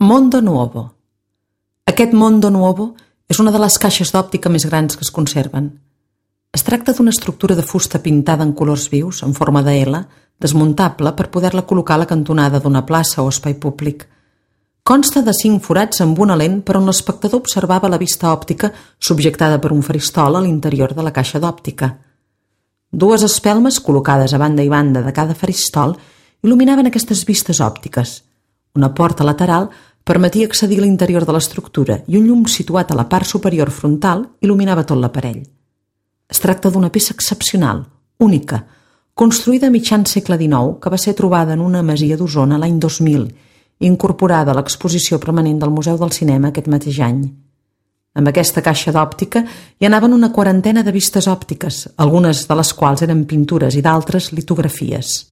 Mondo Nuovo. Aquest Mondo Nuovo és una de les caixes d'òptica més grans que es conserven. Es tracta d'una estructura de fusta pintada en colors vius, en forma de L, desmuntable per poder-la col·locar a la cantonada d'una plaça o espai públic. Consta de 5 forats amb una lent per on l'espectador observava la vista òptica subjectada per un faristol a l'interior de la caixa d'òptica. 2 espelmes col·locades a banda i banda de cada faristol il·luminaven aquestes vistes òptiques. Una porta lateral permetia accedir a l'interior de l'estructura i un llum situat a la part superior frontal il·luminava tot l'aparell. Es tracta d'una peça excepcional, única, construïda a mitjan segle XIX, que va ser trobada en una masia d'Osona l'any 2000 i incorporada a l'exposició permanent del Museu del Cinema aquest mateix any. Amb aquesta caixa d'òptica hi anaven una quarantena de vistes òptiques, algunes de les quals eren pintures i d'altres litografies.